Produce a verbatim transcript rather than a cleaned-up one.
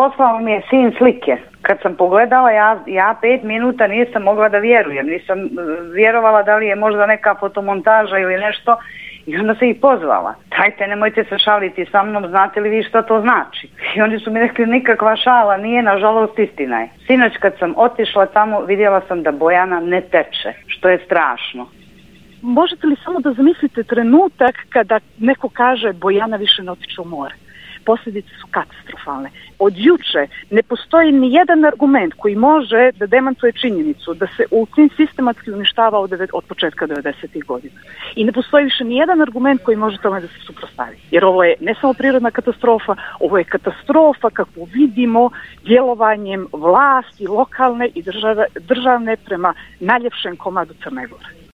poslao mi je sin slike. Kad sam pogledala, ja, ja pet minuta nisam mogla da vjerujem. Nisam vjerovala da li je možda neka fotomontaža ili nešto. I onda se ih pozvala. Dajte, nemojte se šaliti sa mnom, znate li vi što to znači? I oni su mi rekli, nikakva šala nije, nažalost istina je. Sinoć kad sam otišla tamo, vidjela sam da Bojana ne teče, što je strašno. Možete li samo da zamislite trenutak kada neko kaže Bojana više ne otiče u more? Posljedice su katastrofalne. Od juče ne postoji ni jedan argument koji može da demantuje činjenicu da se Ulcin sistematski uništava od, od početka devedesetih godina. I ne postoji više ni jedan argument koji može tome da se suprotstavi. Jer ovo je ne samo prirodna katastrofa, ovo je katastrofa kakvu vidimo djelovanjem vlasti lokalne i države, državne prema najljepšem komadu Crne Gore.